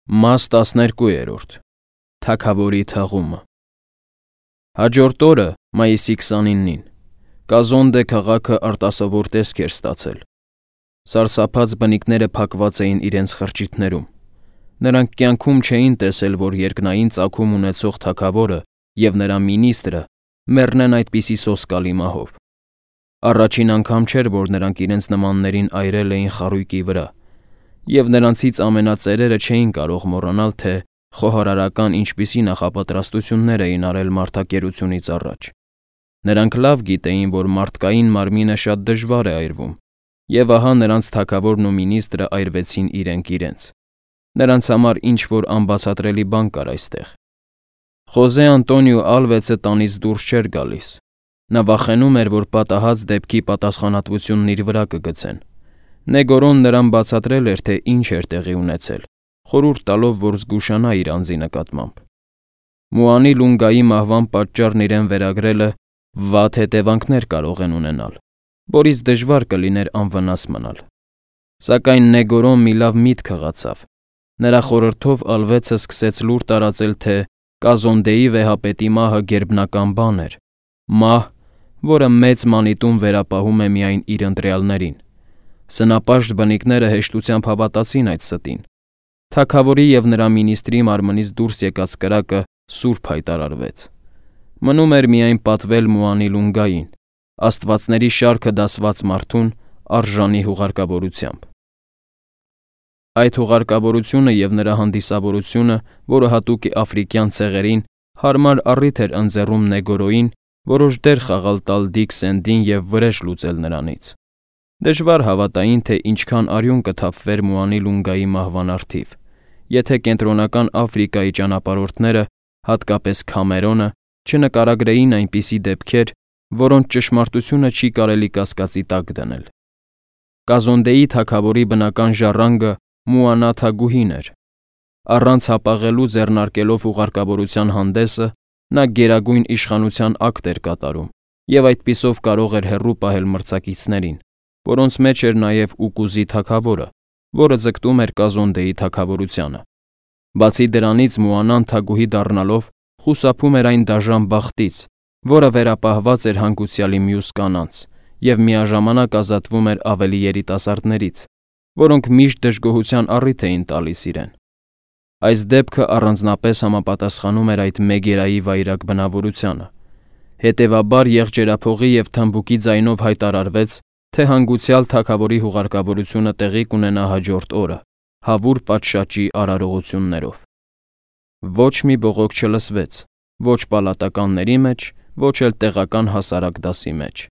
Մաս 12. Թագավորի թաղումը։ Հաջորդ օրը, մայիսի 29-ին, Կազոնդե քաղաքը արտասովոր տեսք էր ստացել։ Սարսափած բնիկները փակված էին իրենց խրճիթներում։ Նրանք կյանքում չէին տեսել, որ երկնային ծագում ունեցող թագավորը և նրա մինիստրը մեռնեն այդպիսի սոսկալի մահով։ Առաջին անգամ չէր, որ նրանք իրենց նմաններին այրել էին խարույկի վրա, և նրանցից ամենածերերը չէին կարող մոռանալ, թե խոհարարական ինչպիսի նախապատրաստություններ էին արել մարդակերությունից առաջ։ Նրանք լավ գիտեին, որ մարդկային մարմինը շատ դժվար է այրվում, և ահա նրանց թագավորն ու մինիստրը այրվեցին իրենք իրենց։ Նրանց համար ինչ-որ անբացատրելի բան կար այստեղ։ Խոզե Անտոնիո Ալվեցը տանից դուրս չէր գալիս։ Նա վախենում էր, որ պատահած դեպքի պատասխանատվությունն իր վրա կգցեն։ Նեգորոն նրան բացատրել էր, թե ինչ էր տեղի ունեցել, խորհուրդ տալով, որ զգուշանա իր անձի նկատմամբ։ Մուանի Լունգայի մահվան պատճառն իրեն վերագրելը վատ հետևանքներ կարող են ունենալ, որից դժվար կլիներ անվնաս մնալ։ Սակայն Նեգորոն մի լավ միտք հղացավ։ Նրա խորհրդով Ալվեցը սկսեց լուր տարածել, թե Կազոնդեի վեհապետի մահը գերբնական բան էր, մահ, որը մեծ մանիտում վերապահում է միայն իր ընտրյալներին։ Սնապաշտ բնիկները հեշտությամբ հավատացին այդ ստին։ Թագավորի և նրա մինիստրի մարմնից դուրս եկած կրակը սուրբ հայտարարվեց։ Մնում էր միայն պատվել Մուանի Լունգային, աստվածների շարքը դասված մարդուն արժանի հուղարկավորությամբ։ Այդ հուղարկավորությունը և նրա հանդիսավորությունը, որը հատուկ է աֆրիկյան ցեղերին, հարմար առիթ էր ընձեռում Նեգորոյին որոշ դեր խաղալ տալ Դիկ Սենդին և վրեժ լուծել նրանից։ Դժվար հավատային, թե ինչքան արյուն կթափվեր Մուանի Լունգայի մահվան առթիվ, եթե Կենտրոնական Աֆրիկայի ճանապարհորդները, հատկապես Քամերոնը, չնկարագրեին այնպիսի դեպքեր, որոնց ճշմարտությունը չի կարելի կասկածի տակ դնել։ Կազոնդեի թագավորի բնական ժառանգը Մուանա թագուհին էր։ Առանց հապաղելու ձեռնարկելով ուղարկավորության հանդեսը, նա գերագույն իշխանության ակտ էր կատարում և այդպիսով կարող էր հեռու պահել մրցակիցներին, որոնց մեջ էր նաև Ուկուզի թագավորը, որը ձգտում էր Կազոնդեի թագավորությանը։ Բացի դրանից, Մուանան թագուհի դառնալով խուսափում էր այն դաժան բախտից, որը վերապահված էր հանգուցյալի մյուս կանանց, և միաժամանակ ազատվում էր ավելի երիտասարդներից, որոնք միշտ դժգոհության առիթ էին տալիս իրեն։ Այս դեպքը առանձնապես համապատասխանում էր այդ Մեգերայի վայրագ բնավորությանը։ Հետևաբար եղջերափողի և թմբուկի ձայնով հայտարարվեց, թե հանգուցյալ թագավորի հուղարկավորությունը տեղի կունենա հաջորդ օրը, հավուր պատշաճի արարողություններով։ Ոչ մի բողոք չլսվեց, ոչ պալատականների մեջ, ոչ էլ տեղական հասարակ դասի մեջ։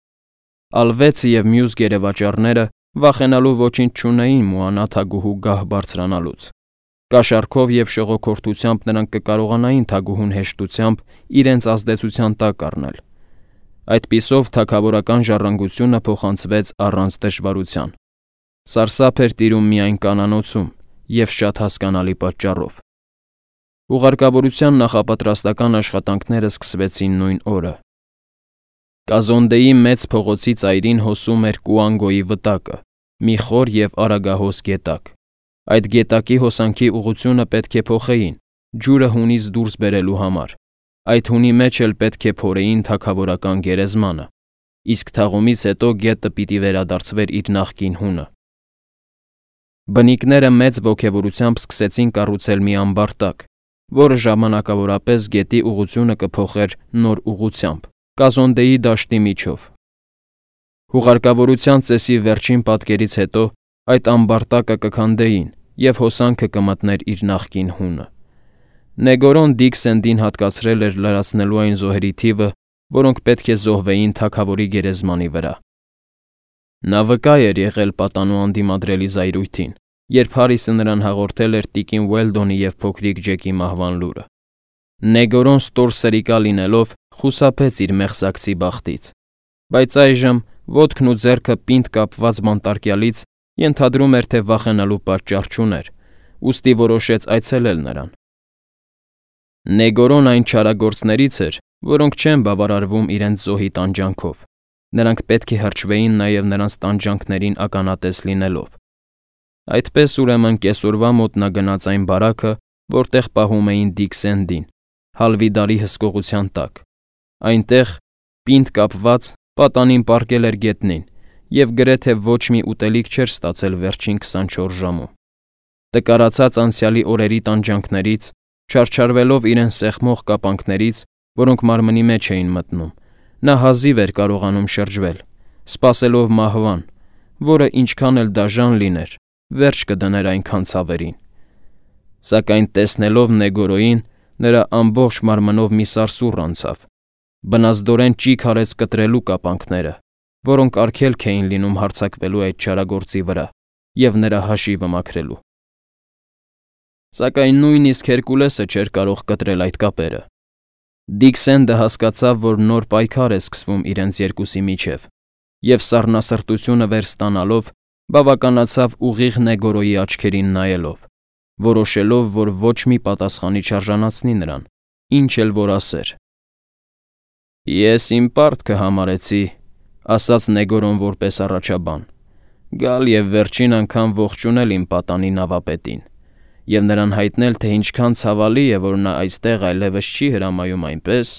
Ալվեցը և մյուս գերեվաճառները վախենալու ոչինչ չունեին Մուանա թագուհու գահ բարձրանալուց։ Կաշառքով և շողոքորթությամբ նրանք կկարողանային թագուհուն հեշտությամբ իրենց ազդեցության տակ առնել։ Այդպիսով թագավորական ժառանգությունը փոխանցվեց առանց դժվարության։ Սարսափ էր տիրում միայն կանանոցում և շատ հասկանալի պատճառով։ Ուղարկավորության նախապատրաստական աշխատանքները սկսվեցին նույն օրը։ Կազոնդեի մեծ փողոցի ծայրին հոսում էր Կուանգոյի վտակը, մի խոր և արագահոս գետակ։ Այդ գետակի հոսանքի ուղղությունը պետք է փոխեին, ջուրը հունից դուրս բերելու համար։ Այդ հունի մեջ էլ պետք է փորեին թագավորական գերեզմանը, իսկ թաղումից հետո գետը պիտի վերադարձվեր իր նախկին հունը։ Բնիկները մեծ ոգևորությամբ սկսեցին կառուցել մի ամբար տակ, որը ժամանակավորապես գետի ուղղությունը կփոխեր նոր ուղղությամբ, Կազոնդեի դաշտի միջով։ Հուղարկավորության ծեսի վերջին պատկերից հետո այդ ամբարտակը կքանդեին, և հոսանքը կմտներ իր նախկին հունը։ Նեգորոն Դիկ Սենդին հատկացրել էր լրացնելու այն զոհերի թիվը, որոնք պետք է զոհվեին թագավորի գերեզմանի վրա։ Նա վկա էր եղել պատանու անդիմադրելի զայրույթին, երբ Հարիսը նրան հաղորդել էր տիկին Ուելդոնի և փոքրիկ Ջեկի մահվան լուրը։ Նեգորոն ստոր սրիկա լինելով խուսափեց իր մեղսակցի բախտից, բայց այժմ ոտքն ու ձեռքը պինդ կապված բանտարկյալից ենթադրում էր, թե վախենալու պատճառ չուներ, ուստի որոշեց այցելել նրան։ Նեգորոն այն չարագործներից էր, որոնք չեն բավարարվում իրենց զոհի տանջանքով։ Նրանք պետք է հրճվեին նաև նրանց տանջանքներին ականատես լինելով։ Այդպես ուրեմն կեսօրվա մոտ նա գնաց այն բարաքը, որտեղ պահում էին Դիք Սենդին, Հալվիդարի հսկողության տակ։ Այնտեղ, պինդ կապված, պատանին պառկել էր գետնին և գրեթե ոչ մի ուտելիք չէր ստացել վերջին 24 ժամում։ Տկարացած անցյալի օրերի տանջանքներից, չարչարվելով իրեն սեղմող կապանքներից, որոնք մարմնի մեջ էին մտնում, նա հազիվ էր կարողանում շրջվել, սպասելով մահվան, որը ինչքան էլ դաժան լիներ, վերջ կդներ այնքան ցավերին։ Սակայն տեսնելով Նեգորոյին, նրա ամբողջ մարմնով մի սարսուռ անցավ, բնազդորեն ճիգ արեց կտրելու կապանքները, որոնք արգելք էին լինում հարձակվելու այդ չարագործի վրա և նրա հաշիվը մաքրելու։ Սակայն նույնիսկ Հերկուլեսը չէր կարող կտրել այդ կապերը։ Դիք Սենդը հասկացավ, որ նոր պայքար է սկսվում իրենց երկուսի միջև, և սառնասրտությունը վեր ստանալով, բավականացավ ուղիղ Նեգորոյի աչքերին նայելով, որոշելով, որ ոչ մի պատասխանի չարժանացնի նրան, ինչ էլ որ ասեր։ «Ես իմ պարտքը համարեցի», ասաց Նեգորոն որպես առաջաբան, «գալ և վերջին անգամ ողջունել իմ պատանի նավապետին և նրան հայտնել, թե ինչքան ցավալի է, որ նա այստեղ այլևս չի հրամայում այնպես,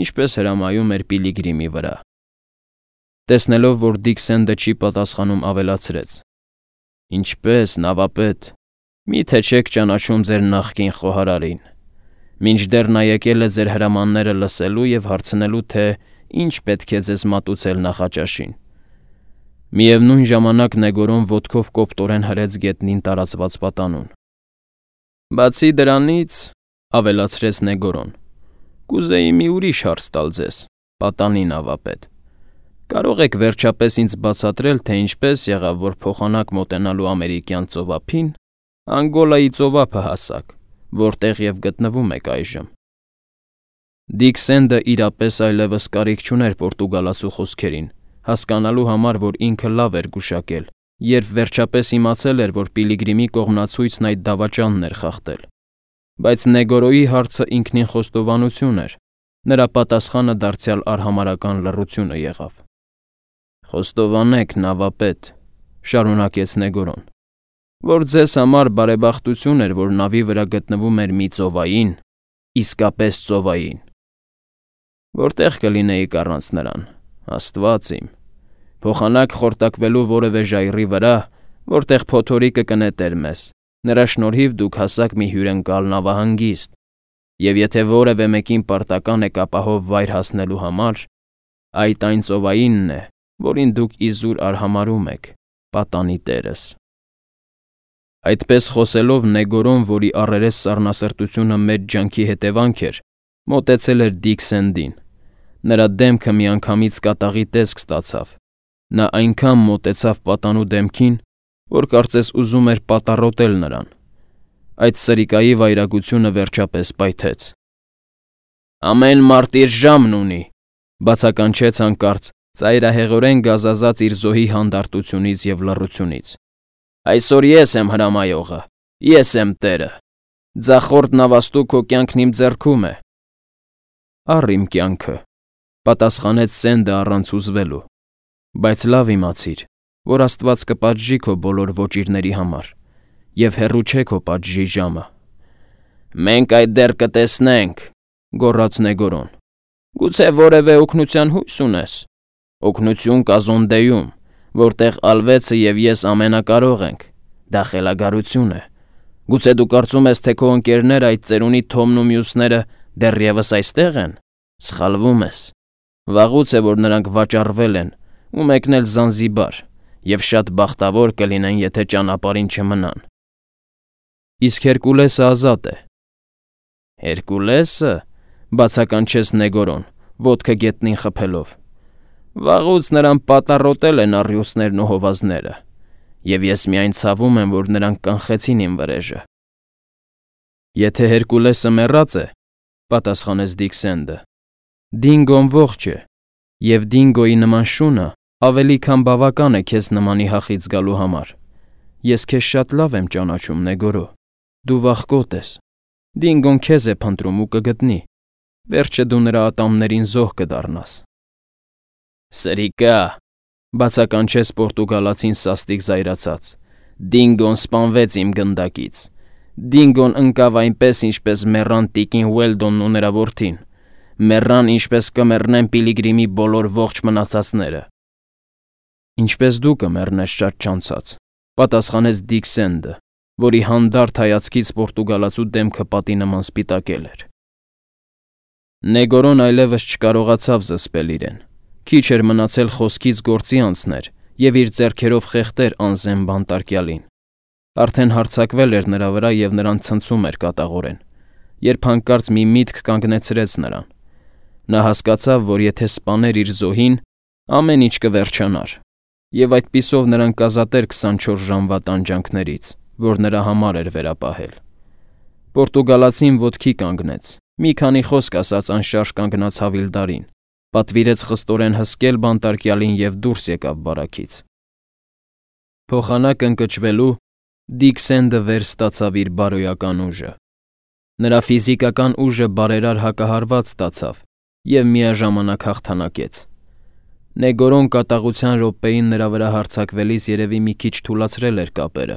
ինչպես հրամայում էր Պիլիգրիմի վրա»։ Տեսնելով, որ Դիք Սենդը չի պատասխանում, ավելացրեց. «Ինչպե՞ս, նավապետ, մի՞թե չեք ճանաչում ձեր նախկին խոհարարին։ Մինչդեռ նա եկել է ձեր հրամանները լսելու և հարցնելու, թե ինչ պետք է ձեզ մատուցել նախաճաշին»։ Միևնույն ժամանակ Նեգորոն ոտքով կոպտորեն հրեց գետնին տարածված պատանուն։ «Բացի դրանից», ավելացրեց Նեգորոն, «կուզեի մի ուրիշ հարց տալ ձեզ, պատանի նավապետ. կարող եք վերջապես ինձ բացատրել, թե ինչպես եղավ, որ փոխանակ մոտենալու ամերիկյան ծովափին, Անգոլայի ծովափը հասաք, որտեղ և գտնվում եք այժմ»։ Դիք Սենդը իրապես այլևս կարիք չուներ պորտուգալացու խոսքերին, հասկանալու համար, որ ինքը լավ էր գուշակել, երբ վերջապես իմացել էր, որ Պիլիգրիմի կողմնացույցն այդ դավաճանն էր խախտել։ Բայց Նեգորոյի հարցը ինքնին խոստովանություն էր, նրա պատասխանը դարձյալ արհամարհական լռությունը եղավ։ «Խոստովանեք, նավապետ», շարունակեց Նեգորոն, «որ ձեզ համար բարեբախտություն էր, որ նավի վրա գտնվում էր մի ծովային, իսկապես ծովային։ Որտե՞ղ կլինեիք առանց նրան, Աստված իմ, փոխանակ խորտակվելու որևէ ժայռի վրա, որտեղ փոթորիկը կնետեր մեզ, նրա շնորհիվ դուք հասաք մի հյուրընկալ նավահանգիստ, և եթե որևէ մեկին պարտական եք ապահով վայր հասնելու համար, այդ այն ծովայինն է, որին դուք իզուր արհամարհում եք, պատանի տերս»։ Այդպես խոսելով Նեգորոն, որի առերես սառնասրտությունը մեծ ջանքի հետևանք էր, մոտեցել էր Դիք Սենդին։ Նրա դեմքը միանգամից կատաղի տեսք ստացավ։ Նա այնքան մոտեցավ պատանու դեմքին, որ կարծես ուզում էր պատառոտել նրան։ Այդ սրիկայի վայրագությունը վերջապես պայթեց։ «Ամեն մարդ իր ժամն ունի», բացականչեց հանկարծ, ծայրահեղորեն գազազած իր զոհի հանդարտությունից և լռությունից։ «Այսօր ես եմ հրամայողը, ես եմ տերը։ Ձախորդ նավաստու քո կյանքն իմ ձեռքում է»։ «Առ իմ կյանքը», պատասխանեց Սենդը առանց հուզվելու, «բայց լավ իմացիր, որ Աստված կպատժի քո բոլոր ոճիրների համար, և հեռու չէ քո պատժի ժամը»։ «Մենք այդ դեռ կտեսնենք», գոռաց Նեգորոն։ «Գուցե որևէ օգնության հույս ունես։ Օգնություն Կազոնդեում, որտեղ Ալվեցը և ես ամենակարող ենք, դա խելագարություն է։ Գուցե դու կարծում ես, թե քո ընկերները, այդ ծերունի Թոմն ու մյուսները դեռևս այստեղ են։ Սխալվում ես։ Վաղուց է, որ նրանք վաճառվել են ու մեկնել Զանզիբար, և շատ բախտավոր կլինեն, եթե ճանապարհին չմնան»։ «Իսկ Հերկուլեսը ազատ է»։ «Հերկուլեսը», բացականչեց Նեգորոն, ոտքը գետնին խփելով, «վաղուց նրան պատառոտել են առյուծներն ու հովազները, և ես միայն ցավում եմ, որ նրանք կանխեցին իմ վրեժը»։ «Եթե Հերկուլեսը մեռած է», պատասխանեց Դիք Սենդը, «Դինգոն ողջ է, և Դինգոյի նման շունը ավելի քան բավական է քեզ նմանի հախից գալու համար։ Ես քեզ շատ լավ եմ ճանաչում, Նեգորո, դու վախկոտ ես։ Դինգոն քեզ է փնտրում ու կգտնի, վերջը դու նրա ատամներին զոհ կդառնաս»։ «Սրիկա», բացականչեց պորտուգալացին սաստիկ զայրացած, Դինգոն սպանվեց իմ գնդակից։ Դինգոն ընկավ այնպես, ինչպես մեռան տիկին Ուելդոնն ու նրա որդին։ Մեռան, ինչպես կմեռնեն Պիլիգրիմի բոլոր ողջ մնացածները։ Ինչպես դու կմեռնես շատ չանցած, պատասխանեց Դիկ Սենդը, որի հանդարտ հայացքից պորտուգալացու դեմքը պատի նման սպիտակել էր։ Նեգորոն այլևս չկարողացավ զսպել իրեն։ Քիչ էր մնացել խոսքից գործի անցներ և իր ձեռքերով խեղդեր անզեն բանտարկյալին։ Արդեն հարձակվել էր նրա վրա և նրան ցնցում էր կատաղորեն, երբ հանկարծ մի միտք կանգնեցրեց նրան։ Նա հասկացավ, որ եթե սպաներ իր զոհին, ամեն ինչ կվերջանար, և այդպիսով նրան կազատեր 24 ժամվա տանջանքներից, որ նրա համար էր վերապահել։ Պորտուգալացին ոտքի կանգնեց, մի քանի խոսք ասաց անշարժ կանգնած Հավիլդարին, պատվիրեց խստորեն հսկել բանտարկյալին և դուրս եկավ բարաքից։ Փոխանակ ընկճվելու Դիկ Սենդը վեր ստացավ իր բարոյական ուժը։ Նրա ֆիզիկական ուժը բարերար հակահարված ստացավ և միաժամանակ հաղթանակեց։ Նեգորոն կատաղության րոպեին նրա վրա հարձակվելիս երևի մի քիչ թուլացրել էր կապերը,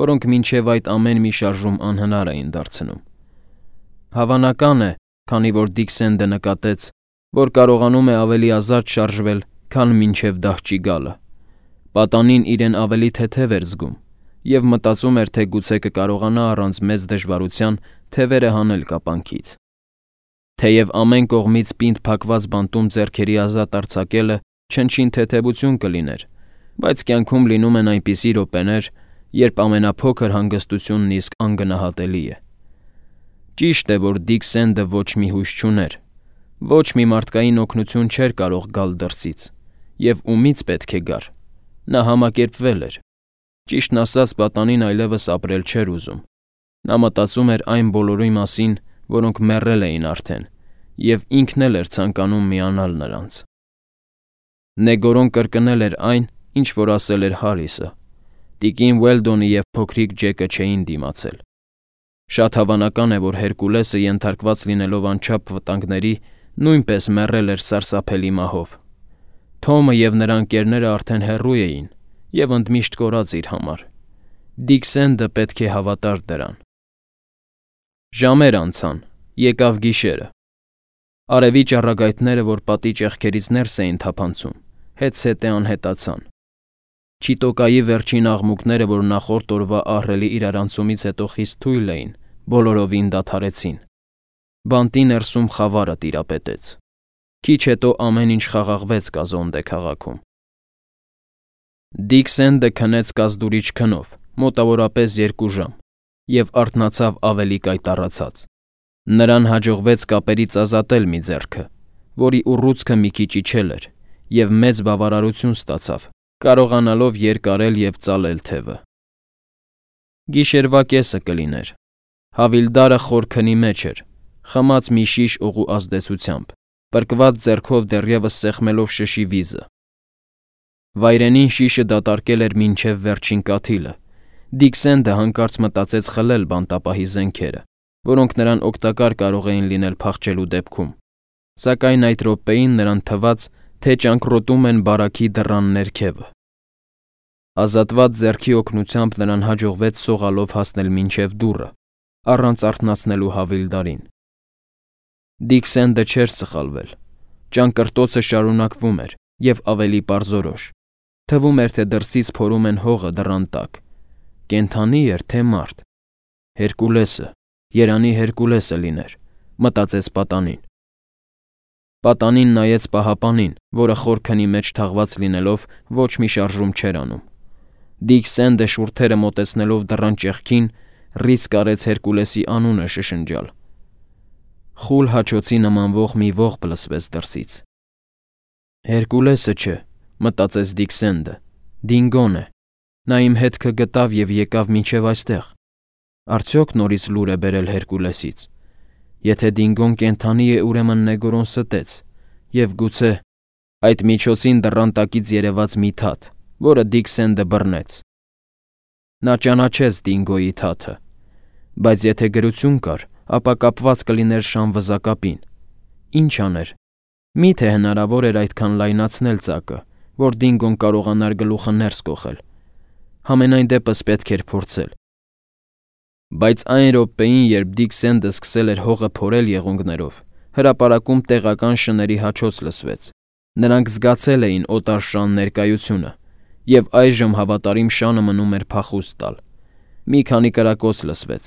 որոնք մինչև այդ ամեն մի շարժում անհնար էին դարձնում։ Հավանական է, քանի որ Դիկ Սենդը նկատեց, որ կարողանում է ավելի ազատ շարժվել, քան մինչև դահճի գալը։ Պատանին իրեն ավելի թեթև էր զգում և մտածում էր, թե գուցե կկարողանա առանց մեծ դժվարության թևերը հանել կապանքից։ Թեև ամեն կողմից պինդ փակված բանտում ձեռքերի ազատ արձակելը չնչին թեթևություն կլիներ, բայց կյանքում լինում են այնպիսի րոպեներ, երբ ամենափոքր հանգստությունն իսկ անգնահատելի է։ Ճիշտ է, որ Դիկ Սենդը ոչ մի հույս չուներ, ոչ մի մարդկային օգնություն չէր կարող գալ դրսից, և ումից պետք է գար։ Նա համակերպվել էր։ Ճիշտն ասած, պատանին այլևս ապրել չէր ուզում։ Նա մտածում էր այն բոլորի մասին, որոնք մեռել էին արդեն, և ինքն էլ էր ցանկանում միանալ նրանց։ Նեգորոն կրկնել էր այն, ինչ որ ասել էր Հարիսը։ Տիկին Ուելդոնը և փոքրիկ Ջեկը չէին դիմացել։ Շատ հավանական է, որ Հերկուլեսը ենթարկված լինելով անչափ վտանգների, նույնպես մեռել էր սարսափելի մահով։ Թոմը և նրա ընկերները արդեն հեռու էին և ընդմիշտ կորած իր համար։ Դիկ Սենդը պետք է հավատար դրան։ Ժամեր անցան, եկավ գիշերը։ Արևի ճառագայթները, որ պատի ճեղքերից ներս էին թափանցում, հետզհետե անհետացան։ Չիտոկայի վերջին աղմուկները, որ նախորդ օրվա ահռելի իրարանցումից հետո խիստ թույլ էին, բոլորովին դադարեցին։ Բանտի ներսում խավարը տիրապետեց։ Քիչ հետո ամեն ինչ խաղաղվեց Կազոնդե քաղաքում։ Դիկ Սենդը քնեց կազդուրիչ քնով, մոտավորապես 2 ժամ, և արթնացավ ավելի կայտառացած։ Նրան հաջողվեց կապերից ազատել մի ձեռքը, որի ուռուցքը մի քիչ իջել էր, և մեծ բավարարություն ստացավ, կարողանալով երկարել և ծալել թևը։ Գիշերվա կեսը կլիներ։ Հավիլդարը խոր քնի մեջ էր, խմած մի շիշ օղու ազդեցությամբ, պրկված ձեռքով դեռևս սեղմելով շշի վիզը։ Վայրենին շիշը դատարկել էր մինչև վերջին կաթիլը։ Դիկ Սենդը հանկարծ մտածեց խլել բանտապահի զենքերը, որոնք նրան օգտակար կարող էին լինել փախչելու դեպքում, սակայն այդ րոպեին նրան թվաց, թե ճանկռոտում են բարաքի դռան ներքևը։ Ազատված ձեռքի օգնությամբ նրան հաջողվեց սողալով հասնել մինչև դուռը, առանց արթնացնելու Հավիլդարին։ Դիկ Սենդը չէր սխալվել։ Ճանկռտոցը շարունակվում էր և ավելի պարզորոշ։ Թվում էր, թե դրսից փորում են հողը դռան տակ։ Կենդանի էր, թե մարդ։ Հերկուլեսը, երանի Հերկուլեսը լիներ, մտածեց պատանին։ Պատանին նայեց պահապանին, որը խոր քնի մեջ թաղված լինելով ոչ մի շարժում չէր անում։ Դիկ Սենդը շուրթերը մոտեցնելով դռան ճեղքին, ռիսկ արեց Հերկուլեսի անունը շշնջալ։ Խուլ հաչոցի նմանվող մի ողբ լսվեց դրսից։ Հերկուլեսը չէ, մտածեց Դիկ Սենդը, Դինգոն է։ Նա իմ հետքը գտավ և եկավ մինչև այստեղ։ Արդյոք նորից լուր է բերել Հերկուլեսից։ Եթե Դինգոն կենդանի է, ուրեմն Նեգորոն ստեց, և գուցե այդ միջոցին դռան տակից երևաց մի թաթ, որը Դիկ Սենդը բռնեց։ Նա ճանաչեց Դինգոյի թաթը, բայց եթե գրություն կար, ապա կապված կլիներ շան վզակապին։ Ինչ աներ։ Միթե հնարավոր էր այդքան լայնացնել ծակը, որ Դինգոն կարողանար գլուխը ներս կոխել։ Համենայն դեպս պետք էր փորձել։ Բայց այն րոպեին, երբ Դիք Սենդը սկսել էր հողը փորել եղունգներով, հրապարակում տեղական շների հաչոց լսվեց։ Նրանք զգացել էին օտար շան ներկայությունը, եւ այժմ հավատարիմ շանը մնում էր փախուստ տալ։ Մի քանի կրակոց լսվեց։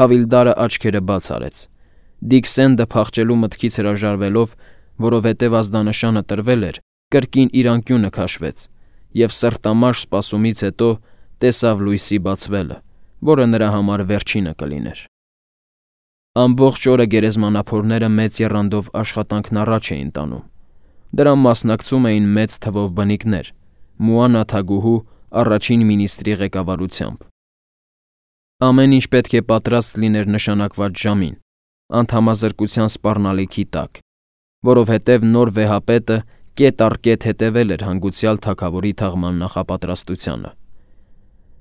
Հավիլդարը աչքերը բաց արեց։ Դիք Սենդը փախչելու մտքից հրաժարվելով, որովհետև ազդանշանը տրվել էր, կրկին իր անկյունը քաշվեց եւ սրտամաշ սպասումից հետո տեսավ լույսի բացվելը, որը նրա համար վերջինը կլիներ։ Ամբողջ օրը գերեզմանափորները մեծ եռանդով աշխատանքն առաջ էին տանում։ Դրան մասնակցում էին մեծ թվով բնիկներ, Մուանա թագուհու առաջին մինիստրի ղեկավարությամբ։ Ամեն ինչ պետք է պատրաստ լիներ նշանակված ժամին, անհամազրկության սպառնալիքի տակ, որովհետև նոր վեհապետը կետ առ կետ հետևել էր հանգուցյալ թագավորի թաղման նախապատրաստությանը։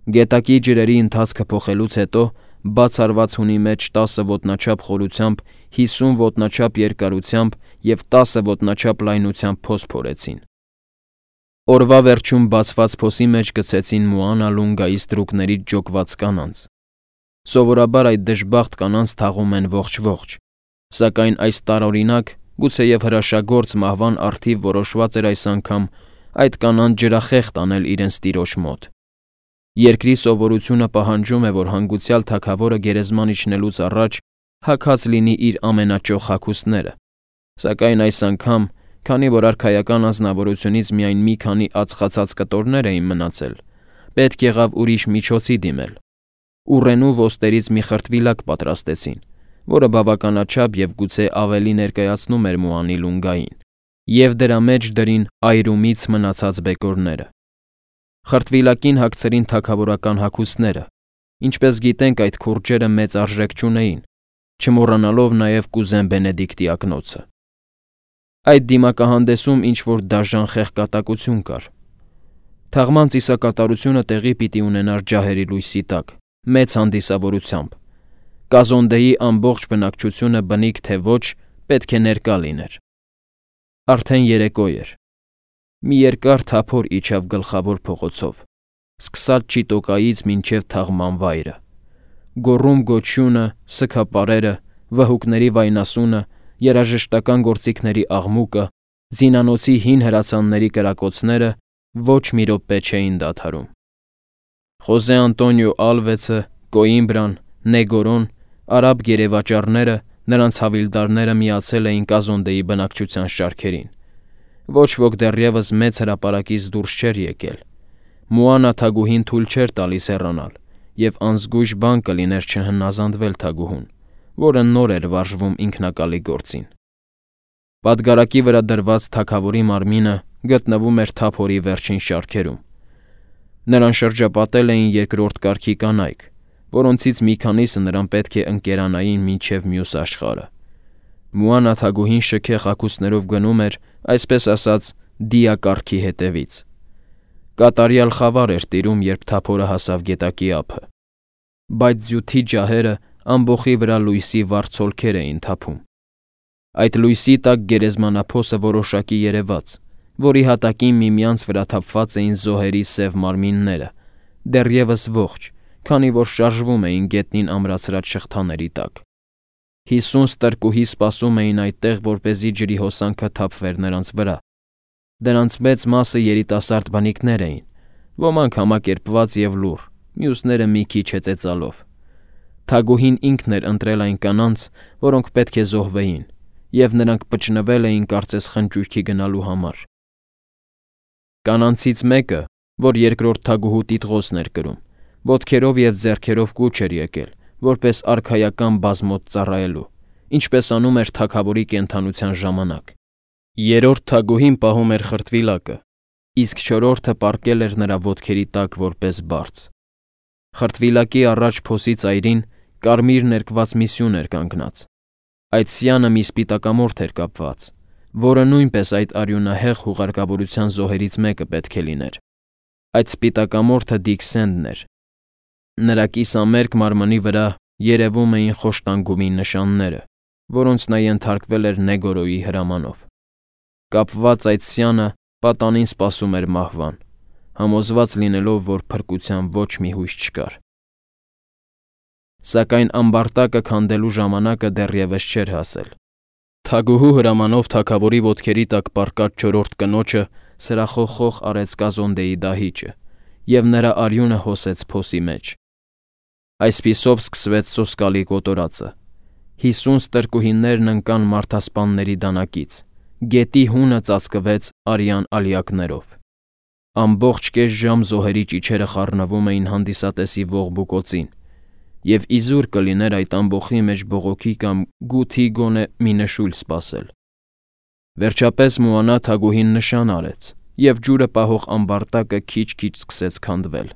Գետակի ջրերի ընթացքը փոխելուց հետո բացառված հունի մեջ 10 ոտնաչափ խորությամբ, 50 ոտնաչափ երկարությամբ և 10 ոտնաչափ լայնությամբ փոս փորեցին։ Օրվա վերջում բացված փոսի մեջ գցեցին Մուանա Լունգայի ստրուկներից ջոկված կանանց։ Սովորաբար այդ դժբախտ կանանց թաղում են ողջ, սակայն այս տարօրինակ, գուցեև հրաշագործ մահվան առթիվ որոշված էր այս անգամ այդ կանանց ջրախեղտ անել իրենց տիրոջ մոտ։ Երկրի սովորությունը պահանջում է, որ հանգուցյալ թագավորը գերեզման իջնելուց առաջ հագած լինի իր ամենաճոխ հագուստները, սակայն այս անգամ, քանի որ արքայական անձնավորությունից միայն մի քանի ածխացած կտորներ էին մնացել, պետք եղավ ուրիշ միջոցի դիմել։ Ուռենու ոսկերից մի խրտվիլակ պատրաստեցին, որը բավականաչափ և գուցե ավելի ներկայացնում էր Մուանի Լունգային, և դրա մեջ դրին այրումից մնացած բեկորները։ Խրտվիլակին հագցրին թագավորական հագուստները, ինչպես գիտենք, այդ քուրջերը մեծ արժեք չունեին, չմոռանալով նաև կուզեն Բենեդիկտի ակնոցը։ Այդ դիմակահանդեսում ինչ-որ դաժան խեղկատակություն կար։ Թաղման ծիսակատարությունը տեղի պիտի ունենար ջահերի լույսի տակ, մեծ հանդիսավորությամբ։ Կազոնդեի ամբողջ բնակչությունը բնիկ թե ոչ պետք է ներկա լիներ։ Արդեն երեկո էր։ Մի երկար թափոր իջավ գլխավոր փողոցով, սկսած Չիտոկայից մինչև թաղման վայրը։ Գոռում-գոչյունը, սգապարերը, վհուկների վայնասունը, երաժշտական գործիքների աղմուկը, զինանոցի հին հրացանների կրակոցները ոչ մի րոպե չէին դադարում։ Խոզե Անտոնիո Ալվեցը, Կոիմբրան, Նեգորոն, արաբ գերեվաճառները, նրանց հավիլդարները միացել էին Կազոնդեի բնակչության շարքերին։ Ոչ ոք դեռևս մեծ հրապարակից դուրս չէր եկել։ Մուանա թագուհին թույլ չէր տալիս հեռանալ, և անզգույշ բան կլիներ չհնազանդվել թագուհուն, որը նոր էր վարժվում ինքնակալի գործին։ Պատգարակի վրա դրված թագավորի մարմինը գտնվում էր թափորի վերջին շարքերում։ Նրան շրջապատել էին երկրորդ կարգի կանայք, որոնցից մի քանիսը նրան պետք է ընկերանային մինչև մյուս աշխարհը։ Մուանա թագուհին շքեղ հագուստներով գնում էր, այսպես ասած, դիակարգի հետևից։ Կատարյալ խավար էր տիրում, երբ թափորը հասավ գետակի ափը։ Բայց ձյութի ջահերը ամբոխի վրա լույսի վառ ցոլքեր էին թափում։ Այդ լույսի տակ գերեզմանափոսը որոշակի երևաց, որի հատակին միմյանց վրա թափված էին զոհերի սև մարմինները, դեռևս ողջ, քանի որ շարժվում էին գետնին ամրացրած շղթաների տակ։ 50 ստրկուհի սպասում էին այդտեղ, որպեսզի ջրի հոսանքը թափվեր նրանց վրա։ Դրանց մեծ մասը երիտասարդ բնիկներ էին, ոմանք համակերպված և լուռ, մյուսները մի քիչ հեծեծալով։ Թագուհին ինքն էր ընտրել այն կանանց, որոնք պետք է զոհվեին, և նրանք պճնվել էին կարծես խնճույքի գնալու համար։ Կանանցից մեկը, որ երկրորդ թագուհու տիտղոսն էր կրում, ոտքերով և ձեռքերով կուչ էր եկել, որպես արքայական բազմոտ ծառայելու, ինչպես անում էր թագավորի կենդանության ժամանակ։ Երրորդ թագուհին պահում էր խրտվիլակը, իսկ չորրորդը պառկել էր նրա ոտքերի տակ որպես բարձ։ Խրտվիլակի առաջ փոսի ծայրին կարմիր ներկված մի սյուն էր կանգնած։ Այդ սյանը մի սպիտակամորթ էր կապված, որը նույնպես այդ արյունահեղ հուղարկավորության զոհերից մեկը պետք է լիներ։ Այդ սպիտակամորթը Դիք Սենդն էր։ Նրա կիսամերկ մարմնի վրա երևում էին խոշտանգումի նշանները, որոնց նա ենթարկվել էր Նեգորոյի հրամանով։ Կապված այդ սյանը պատանին սպասում էր մահվան, համոզված լինելով, որ փրկության ոչ մի հույս չկար։ Սակայն ամբարտակը քանդելու ժամանակը դեռևս չէր հասել։ Թագուհու հրամանով թագավորի ոտքերի տակ պառկած չորրորդ կնոջը սրախոխող արեց Կազոնդեի դահիճը, և նրա արյունը հոսեց փոսի մեջ։ Այսպիսով սկսվեց սոսկալի կոտորածը։ 50 ստրկուհիներն ընկան մարդասպանների դանակից, գետի հունը ծածկվեց արյան ալյակներով։ Ամբողջ կես ժամ զոհերի ճիչերը խառնվում էին հանդիսատեսի ողբուկոցին, և իզուր կլիներ այդ ամբոխի մեջ բողոքի կամ գութի գոնե մի նշույլ սպասել։ Վերջապես Մուանա թագուհին նշան արեց, և ջուրը պահող ամբարտակը քիչ-քիչ սկսեց քանդվել։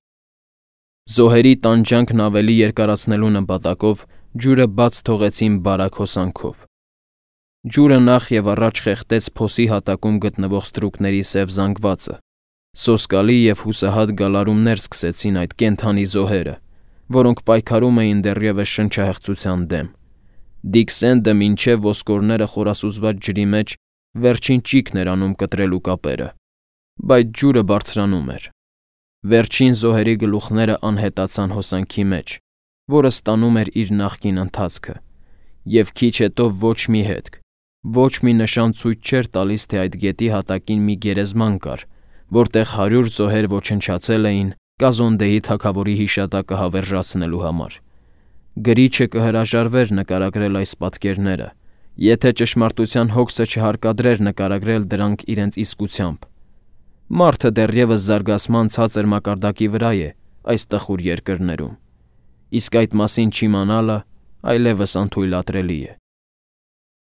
Զոհերի տանջանքն ավելի երկարացնելու նպատակով ջուրը բաց թողեցին բարակ հոսանքով։ Ջուրը նախ և առաջ խեղդեց փոսի հատակում գտնվող ստրուկների սև զանգվածը։ Սոսկալի և հուսահատ գալարումներ սկսեցին այդ կենդանի զոհերը, որոնք պայքարում էին դեռևս շնչահեղձության դեմ։ Դիքսենդը մինչև ոսկորները խորասուզված ջրի մեջ վերջին ճիգն էր անում կտրելու կապերը, բայց ջուրը բարձրանում էր։ Վերջին զոհերի գլուխները անհետացան հոսանքի մեջ, որը ստանում էր իր նախկին ընթացքը, և քիչ հետո ոչ մի հետք, ոչ մի նշան ցույց չէր տալիս, թե այդ գետի հատակին մի գերեզման կար, որտեղ 100 զոհեր ոչնչացել էին Կազոնդեի թագավորի հիշատակը հավերժացնելու համար։ Գրիչը կհրաժարվեր նկարագրել այս պատկերները, եթե ճշմարտության հոգսը չհարկադրեր նկարագրել դրանք իրենց իսկությամբ։ Մարդը դեռևս զարգացման ցածր մակարդակի վրա է այս տխուր երկրներում, իսկ այդ մասին չիմանալը այլևս անթույլատրելի է։